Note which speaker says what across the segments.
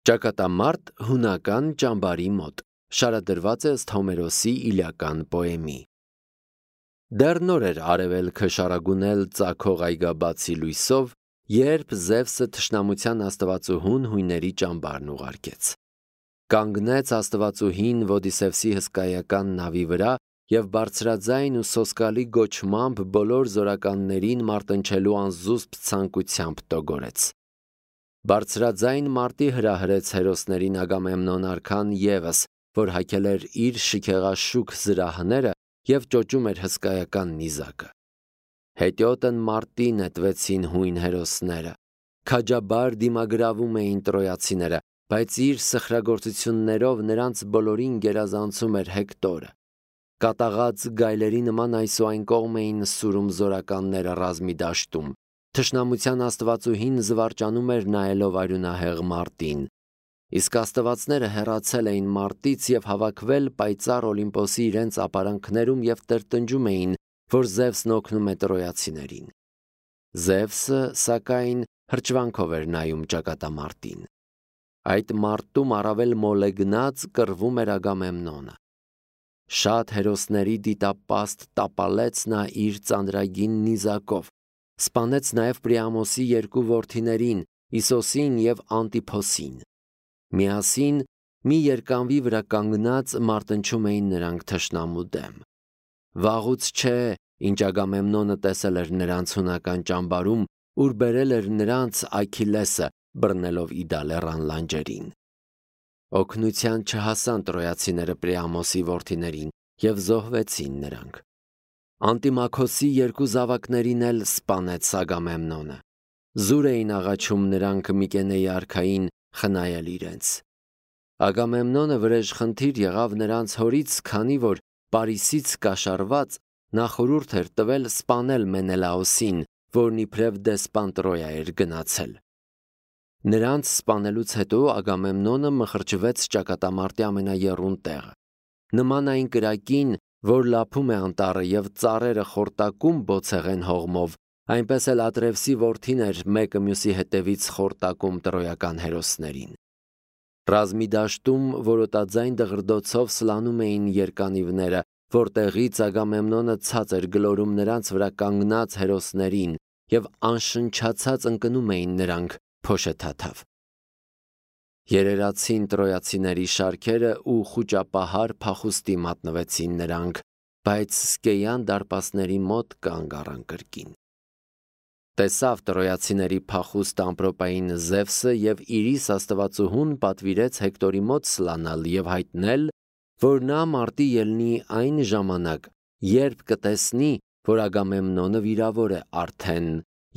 Speaker 1: Ճակատամարտ հունական ճամբարի մոտ շարադրված է ըստ Հոմերոսի Իլիական պոեմի։ Դեռ նոր էր արևելքը շարագունել ծագող այգաբացի լույսով, երբ Զևսը թշնամության աստվածուհուն հույների ճամբարն ուղարկեց։ Կանգնեց աստվածուհին Ոդիսևսի հսկայական նավի վրա և բարձրաձայն ու սոսկալի գոչմամբ բոլոր զորականներին մարտնչելու անզուսպ ցանկությամբ տոգորեց։ Բարձրաձայն մարտի հրահրեց հերոսներին Ագամեմնոն արքան ևս, որ հագել էր իր շքեղաշուք զրահները և ճոճում էր հսկայական նիզակը։ Հետիոտն մարտի նետվեցին հույն հերոսները, քաջաբար դիմագրավում էին տրոյացիները, բայց իր սխրագործություններով նրանց բոլորին գերազանցում էր Հեկտորը։ Կատաղած գայլերի նման այսուայն կողմ էին սուրում զորականները ռազմի դաշտում։ Թշնամության աստվածուհին զվարճանում էր նայելով արյունահեղ մարտին։ Իսկ աստվածները հեռացել էին մարտից և հավաքվել պայծառ Օլիմպոսի իրենց ապարանքներում և տրտնջում էին, որ Զևսն օգնում է տրոյացիներին։ Զևսը, սակայն, հրճվանքով էր նայում ճակատամարտին։ Այդ մարտում առավել մոլեգնած կռվում էր Ագամեմնոնը։ Շատ հերոսների դիտապաստ տապալեց նա իր ծանրագին նիզակով, սպանեց նաև Պրիամոսի երկու որդիներին՝ Իսոսին և Անտիփոսին։ Միասին մի երկանվի վրա կանգնած մարտնչում էին նրանք թշնամու դեմ։ Վաղուց չէ, ինչ Ագամեմնոնը տեսել էր նրանց հունական ճամբարում, ուր բերել էր նրանց Աքիլեսը, բռնելով Իդալեռան լանջերին։ Օգնության չհասան տրոյացիները Պրիամոսի որդիներին և զոհվեցին նրանք։ Անտիմաքոսի երկու զավակներին էլ սպանեց Ագամեմնոնը։ Զուր էին աղաչում նրանք Միկենեի արքային խնայել իրենց։ Ագամեմնոնը վրեժխնդիր եղավ նրանց հորից, քանի որ Պարիսից կաշառված նա խորհուրդ էր տվել սպանել Մենելաոսին, որն իբրև դեսպան Տրոյա էր գնացել։ Նրանց սպանելուց հետո Ագամեմնոնը մխրճվեց ճակատամարտի ամենաեռուն տեղը։ Նման այն կրակին, որ լափում է անտառը և ծառերը խորտակում բոցեղեն հողմով, այնպես էլ Ատրևսի որդին էր մեկը մյուսի հետևից խորտակում տրոյական հերոսներին։ Ռազմի դաշտում որոտաձայն դղրդոցով սլանում էին երկանիվները, որտեղից Ագամեմնոնը ցած էր գլորում նրանց վրա կանգնած հերոսներին և անշնչացած ընկնում էին նրանք փոշեթաթավ։ Երերացին տրոյացիների շարքերը ու խուճապահար փախուստի մատնվեցին նրանք, բայց Սկեյան դարպասների մոտ կանգ առան կրկին։ Տեսավ տրոյացիների փախուստ ամպրոպային Զևսը և Իրիս աստվածուհուն պատվիրեց Հեկտորի մոտ սլանալ և հայտնել, որ նա մարտի ելնի այն ժամանակ, երբ կտեսնի, որ Ագամեմնոնը վիրավոր է արդեն,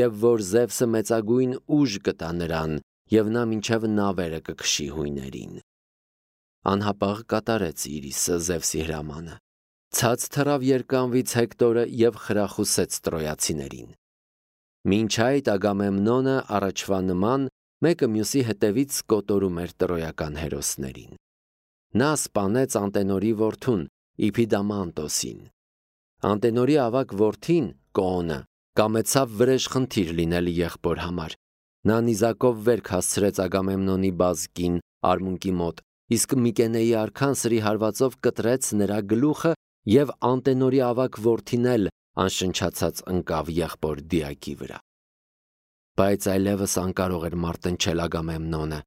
Speaker 1: և որ Զևսը մեծագույն ուժ կտա նրան, և նա մինչև նավերը կքշի հույներին։ Անհապաղ կատարեց Իրիսը Զևսի հրամանը։ Ցած թռավ երկանվից Հեկտորը և խրախուսեց տրոյացիներին։ Մինչ այդ Ագամեմնոնը առաջվա նման մեկը մյուսի հետևից կոտորում էր տրոյական հերոսներին։ Նա սպանեց Անտենորի որդուն Իփիդամանտոսին։ Անտենորի ավագ որդին Կոոնը կամեցավ վրեժխնդիր լինել եղբոր համար։ Նա նիզակով վերք հասցրեց Ագամեմնոնի բազկին արմունկի մոտ, իսկ Միկենեի արքան սրի հարվածով կտրեց նրա գլուխը և Անտենորի ավագ որդին էլ անշնչացած ընկավ եղբոր Դիակի վրա։ Բայց այլևս անկարող էր մարտնչել Ագամեմնոնը,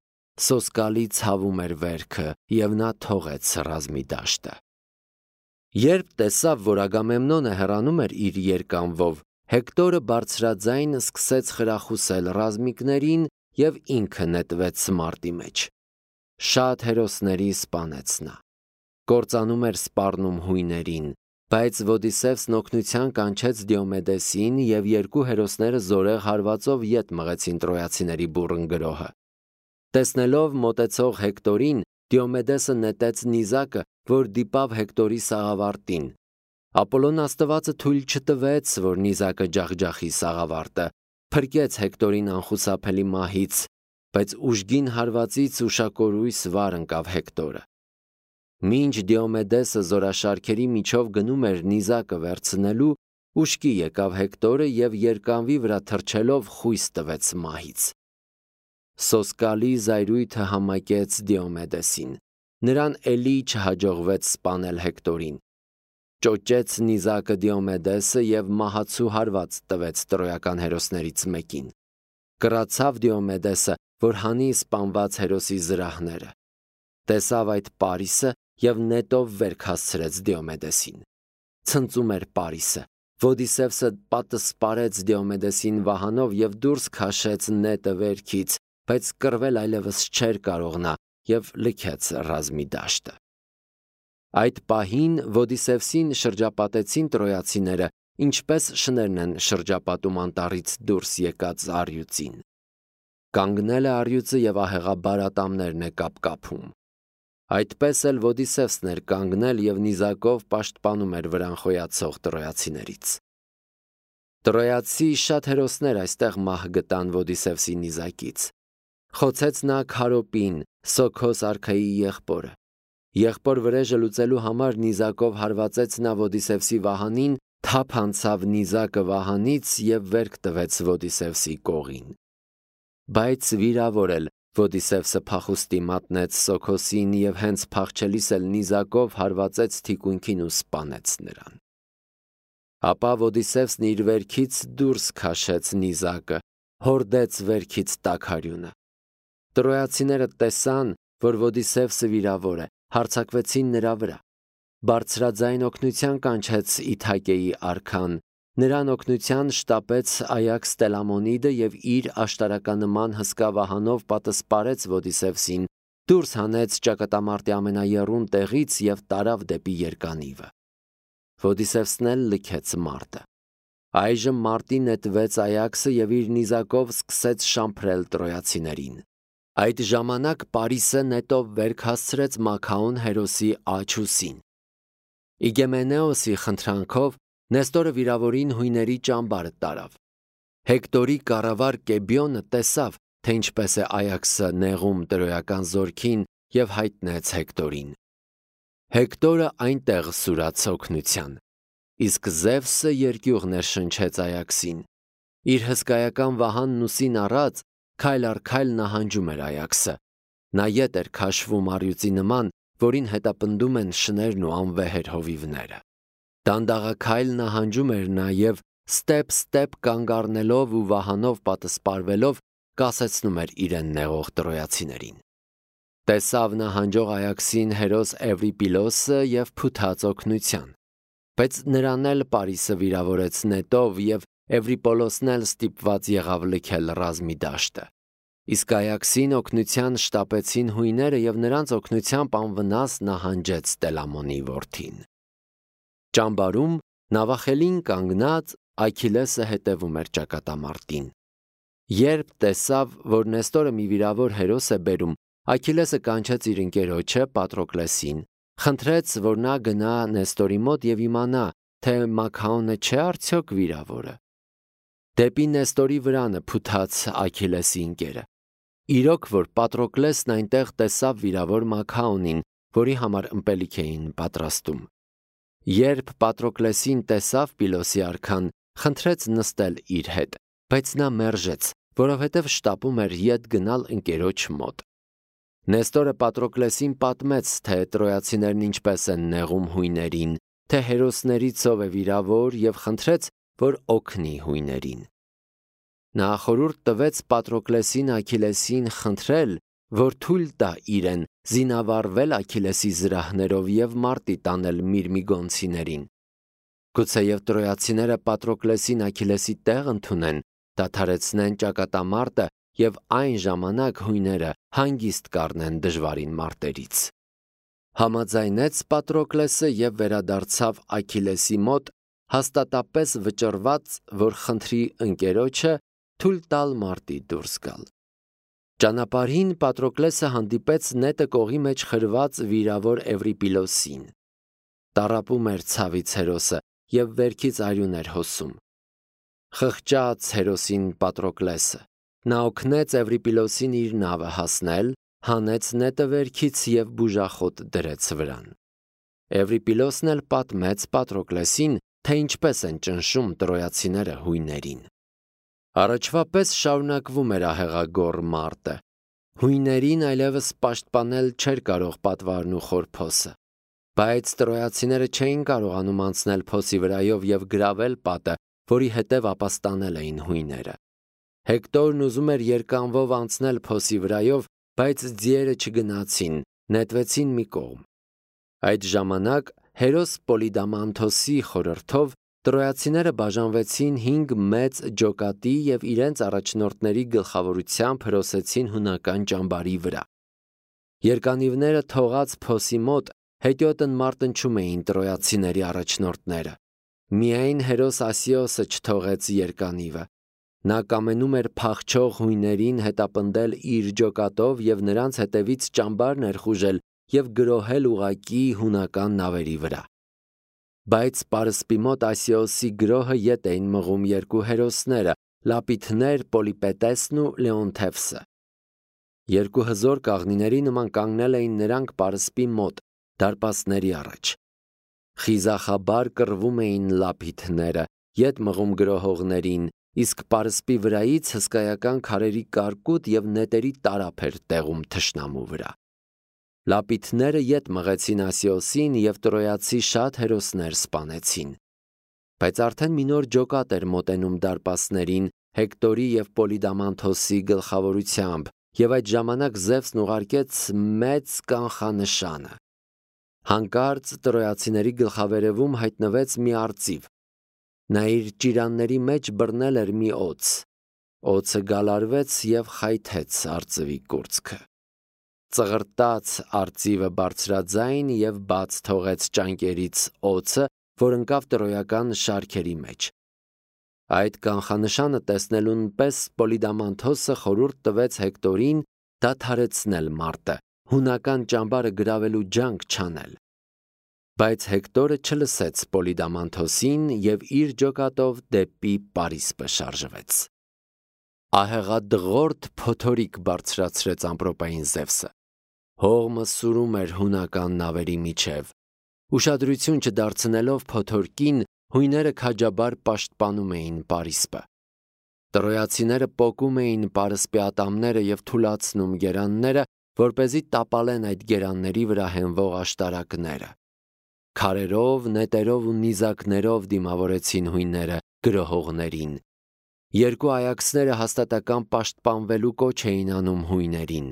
Speaker 1: սոսկալի ցավում էր վերքը, և նա թողեց ռազմի դաշտը։ Երբ տեսավ, որ Ագամեմնոնը հեռանում էր իր երկանվով, Հեկտորը բարձրաձայն սկսեց խրախուսել ռազմիկներին և ինքը նետվեց մարտի մեջ։ Շատ հերոսների սպանեց նա։ Կործանում էր սպառնում հույներին, բայց Ոդիսևսն օգնության կանչեց Դիոմեդեսին և երկու հերոսները զորեղ հարվածով ետ մղեցին տրոյացիների բուռն գրոհը։ Տեսնելով մոտեցող Հեկտորին, Դիոմեդեսը նետեց նիզակը, որ դիպավ Հեկտորի սաղավարտին։ Ապոլոն աստվածը թույլ չտվեց, որ նիզակը ջախջախի սաղավարտը, փրկեց Հեկտորին անխուսափելի մահից, բայց ուժգին հարվածից ուշակորույս վար ընկավ Հեկտորը։ Մինչ Դիոմեդեսը զորաշարքերի միջով գնում էր նիզակը վերցնելու, ուշքի եկավ Հեկտորը և երկանվի վրա թռչելով խույս տվեց մահից։ Սոսկալի զայրույթը համակեց Դիոմեդեսին։ Նրան էլի չհաջողվեց սպանել Հեկտորին։ Ճոճեց նիզակը Դիոմեդեսը և մահացու հարված տվեց տրոյական հերոսներից մեկին։ Կռացավ Դիոմեդեսը, որ հանի սպանված հերոսի զրահները։ Տեսավ այդ Պարիսը և նետով վերք հասցրեց Դիոմեդեսին։ Ցնծում էր Պարիսը։ Ոդիսևսը պատսպարեց Դիոմեդեսին վահանով և դուրս քաշեց նետը վերքից, բայց կռվել այլևս չէր կարող նա և լքեց ռազմի դաշտը։ Այդ պահին Ոդիսևսին շրջապատեցին տրոյացիները, ինչպես շներն են շրջապատում անտառից դուրս եկած առյուծին։ Կանգնել է առյուծը և ահեղաբար ատամներն է կապկապում։ Այդպես էլ Ոդիսևսն էր կանգնել և նիզակով պաշտպանում էր վրան խոյացող տրոյացիներից։ Տրոյացի շատ հերոսներ այստեղ մահ գտան Ոդիսևսի նիզակից։ Խոցեց նա Քարոպին, Սոքոս արքայի եղբորը։ Եղբոր վրեժը լուծելու համար նիզակով հարվածեց նա Ոդիսևսի վահանին, թափ անցավ նիզակը վահանից և վերք տվեց Ոդիսևսի կողին։ Բայց վիրավոր էլ Ոդիսևսը փախուստի մատնեց Սոքոսին և հենց փախչելիս էլ նիզակով հարվածեց թիկունքին ու սպանեց նրան։ Ապա Ոդիսևսն իր վերքից դուրս քաշեց նիզակը, հորդեց վերքից տաքարյունը։ Տրոյացիները տեսան, որ Ոդիսևսը վիրավոր է, հարձակվեցին նրա վրա։ Բարձրաձայն օգնության կանչեց Իթակեի արքան, նրան օգնության շտապեց Այաքս Տելամոնիդը և իր աշտարականնման հսկա վահանով պատսպարեց Ոդիսևսին, դուրս հանեց ճակատամարտի ամենաեռուն տեղից և տարավ դեպի երկանիվը։ Ոդիսևսն էլ լքեց մարտը։ Այժմ մարտին նետվեց Այաքսը և իր նիզակով սկսեց շամփրել տրոյացիներին։ Այդ ժամանակ Պարիսը նետով վերք հասցրեց Մաքաոն հերոսի աջուսին։ Իգեմենեոսի խնդրանքով Նեստորը վիրավորին հույների ճամբարը տարավ։ Հեկտորի կառավար Կեբիոնը տեսավ, թե ինչպես է Այաքսը նեղում տրոյական զորքին և հայտնեց Հեկտորին։ Հեկտորը այնտեղ սուրաց օգնության։ Իսկ Զևսը երկյուղ ներշնչեց Այաքսին։ Իր հսկայական վահանն ուսին առած, քայլ առ քայլ նահանջում էր Այաքսը։ Նա ետ էր քաշվում առյուծի նման, որին հետապնդում են շներն ու անվեհեր հովիվները։ Դանդաղաքայլ նահանջում էր նա և ստեպ կանգ առնելով ու վահանով պատսպարվելով կասեցնում էր իրեն նեղող տրոյացիներին։ Տեսավ նահանջող Այաքսին հերոս Էվրիպիլոսը և փութաց օգնության։ Բայց նրան էլ Պարիսը վիրավորեց նետով և Էվրիպոլոսն էլ ստիպված եղավ լքել ռազմի դաշտը։ Իսկ Այաքսին օգնության շտապեցին հույները և նրանց օգնությամբ անվնաս նահանջեց Տելամոնի որդին։ Ճամբարում նավախելին կանգնած Աքիլեսը հետևում էր ճակատամարտին։ Երբ տեսավ, որ Նեստորը մի վիրավոր հերոս է բերում, Աքիլեսը կանչեց իր ընկերոջը Պատրոկլեսին, խնդրեց, որ նա գնա Նեստորի մոտ և իմանա, թե Մաքաոնը չէ արդյոք վիրավորը։ Դեպի Նեստորի վրանը փութաց Աքիլեսի ընկերը։ Իրոք որ Պատրոկլեսն այնտեղ տեսավ վիրավոր Մաքաոնին, որի համար ըմպելիք էին պատրաստում։ Երբ Պատրոկլեսին տեսավ Պիլոսի արքան, խնդրեց նստել իր հետ, բայց նա մերժեց, որովհետև շտապում էր ետ գնալ ընկերոջ մոտ։ Նեստորը Պատրոկլեսին պատմեց, թե տրոյացիներն ինչպես են նեղում հույներին, թե հերոսներից ով է վիրավոր և խնդրեց, որ օգնի հույներին։ Նա խորհուրդ տվեց Պատրոկլեսին Աքիլեսին խնդրել, որ թույլ տա իրեն զինավառվել Աքիլեսի զրահներով և մարտի տանել միրմիգոնցիներին։ Գուցեև տրոյացիները Պատրոկլեսին Աքիլեսի տեղ ընդունեն, դադարեցնեն ճակատամարտը և այն ժամանակ հույները հանգիստ կառնեն դժվարին մարտերից։ Համաձայնեց Պատրոկլեսը և վերադարձավ Աքիլեսի մոտ, հաստատապես վճռված, որ խնդրի ընկերոջը թույլ տալ մարտի դուրս գալ։ Ճանապարհին Պատրոկլեսը հանդիպեց նետը կողի մեջ խրված վիրավոր Էվրիպիլոսին։ Տառապում էր ցավից հերոսը և վերքից արյուն էր հոսում։ Խղճաց հերոսին Պատրոկլեսը։ Նա օգնեց Էվրիպիլոսին իր նավը հասնել, հանեց նետը վերքից և բուժախոտ դրեց վրան։ Էվրիպիլոսն էլ պատմեց Պատրոկլեսին, թե ինչպես են ճնշում տրոյացիները հույներին։ Առաջվա պես շարունակվում էր ահեղագոռ մարտը։ Հույներին այլևս պաշտպանել չէր կարող պատվարն ու խորփոսը, բայց տրոյացիները չէին կարողանում անցնել փոսի վրայով եւ գրավել պատը, որի հետև ապաստանել էին հույները։ Հեկտորն ուզում էր երկանվով անցնել փոսի վրայով, բայց ձիերը չգնացին, նետվեցին մի կողմ։ Այդ ժամանակ հերոս Պոլիդամանթոսի խորհրդով տրոյացիները բաժանվեցին 5 մեծ ջոկատի եւ իրենց առաջնորդների գլխավորությամբ հրոսեցին հունական ճամբարի վրա։ Երկանիվները թողած փոսի մոտ հետիոտն մարտնչում էին տրոյացիների առաջնորդները։ Միայն հերոս Ասիոսը չթողեց երկանիվը։ Նա կամենում էր փախչող հույներին հետապնդել իր ջոկատով եւ նրանց հետևից ճամբար ներխուժել եւ գրոհել ուղակի հունական նավերի վրա։ Բայց պարսպի մոտ Ասիոսի գրոհը ետ էին մղում երկու հերոսները՝ Լապիթներ Պոլիպետեսն ու Լեոնթևսը։ Երկու հզոր կաղնիների նման կանգնել էին նրանք պարսպի մոտ, դարպասների առաջ։ Խիզախաբար կռվում էին լապիթները, ետ մղում գրոհողներին, իսկ պարսպի վրայից հսկայական քարերի կարկուտ եւ նետերի տարափ էր տեղում թշնամու վրա։ Լապիթները ետ մղեցին Ասիոսին եւ տրոյացի շատ հերոսներ սպանեցին։ Բայց արդեն մի նոր ջոկատ էր մոտենում դարպասներին Հեկտորի եւ Պոլիդամանթոսի գլխավորությամբ, եւ այդ ժամանակ Զևսն ուղարկեց մեծ կանխանշանը։ Հանկարծ տրոյացիների գլխավերևում հայտնվեց մի արծիվ։ Նա իր ճիրանների մեջ բռնել էր մի օձ։ Օձը գալարվեց եւ խայթեց արծվի կուրծքը։ Ծղրտաց արծիվը բարձրաձայն եւ բաց թողեց ճանկերից օձը, որ ընկավ տրոյական շարքերի մեջ։ Այդ կանխանշանը տեսնելուն պես Պոլիդամանթոսը խորհուրդ տվեց Հեկտորին դադարեցնել մարտը, հունական ճամբարը գրավելու ջանք չանել։ Բայց Հեկտորը չլսեց Պոլիդամանթոսին եւ իր ջոկատով դեպի Պարիսպը շարժվեց։ Ահեղադղորդ փոթորիկ բարձրացրեց ամպրոպային Զևսը։ Հողմը սուրում էր հունական նավերի միջև։ Ուշադրություն չդարձնելով փոթորկին, հույները քաջաբար պաշտպանում էին Պարիսպը։ Տրոյացիները պոկում էին պարսպի ատամները եւ թուլացնում գերանները, որպեսզի տապալեն այդ գերանների վրա հենվող աշտարակները։ Քարերով, նետերով ու նիզակներով դիմավորեցին հույները գրոհողներին։ Երկու այաքսները հաստատակամ պաշտպանվելու կոչ էին անում հույներին։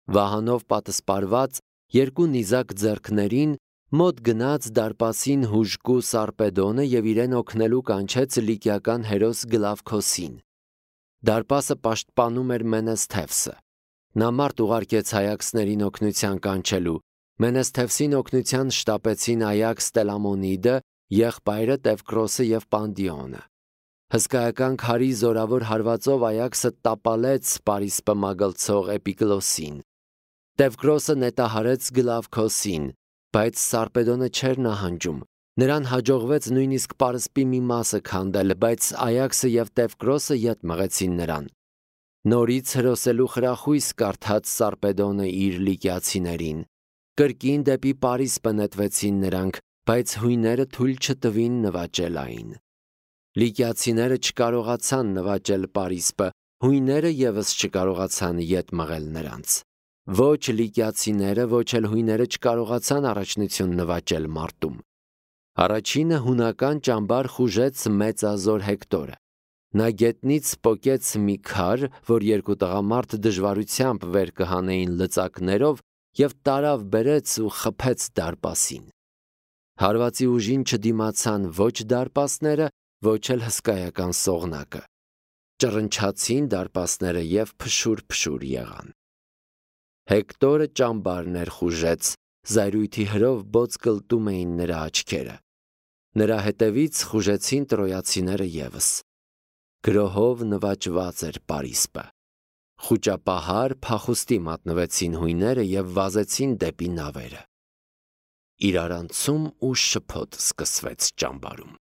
Speaker 1: Վահանով պատսպարված երկու նիզակ ձեռքներին մոտ գնաց դարպասին հուժկու Սարպեդոնը եւ իրեն օգնելու կանչեց լիկիական հերոս Գլավքոսին։ Դարպասը պաշտպանում էր Մենեսթևսը։ Նա մարդ ուղարկեց այաքսներին օգնության կանչելու։ Մենեսթևսին օգնության շտապեցին Այաքս Տելամոնիդը, եղբայրը Տևկրոսը եւ Պանդիոնը։ Հսկայական քարի զորավոր հարվածով Այաքսը տապալեց Պարիսպը մագլցող Էպիկլոսին։ Տևկրոսը նետահարեց Գլավքոսին, բայց Սարպեդոնը չէր նահանջում։ Նրան հաջողվեց նույնիսկ պարսպի մի մասը քանդել, բայց Այաքսը եւ Տևկրոսը ետ մղեցին նրան։ Նորից հրոսելու խրախույս կարդաց Սարպեդոնը իր լիկիացիներին։ Կրկին դեպի Պարիսպը նետվեցին նրանք, բայց հույները թույլ չտվին նվաճել այն։ Լիկիացիները չկարողացան նվաճել Պարիսպը, հույները եւս չկարողացան ետ մղել նրանց։ Ոչ լիկիացիները, ոչ էլ հույները չկարողացան առաջնություն նվաճել մարտում։ Առաջինը հունական ճամբար խուժեց մեծազոր Հեկտորը։ Նա գետնից պոկեց մի քար, որ երկու տղամարդ դժվարությամբ վեր կհանեին լծակներով, եւ տարավ բերեց ու խփեց դարպասին։ Հարվածի ուժին չդիմացան ոչ դարպասները, ոչ էլ հսկայական սողնակը։ Ճռնչացին դարպասները եւ փշուր եղան։ Հեկտորը ճամբար ներխուժեց, զայրույթի հրով բոց կլտում էին նրա աչքերը։ Նրա հետևից խուժեցին տրոյացիները եւս։ Գրոհով նվաճված էր Պարիսպը։ Խուճապահար փախուստի մատնվեցին հույները եւ վազեցին դեպի նավերը։ Իրարանցում ու շփոթ սկսվեց ճամբարում։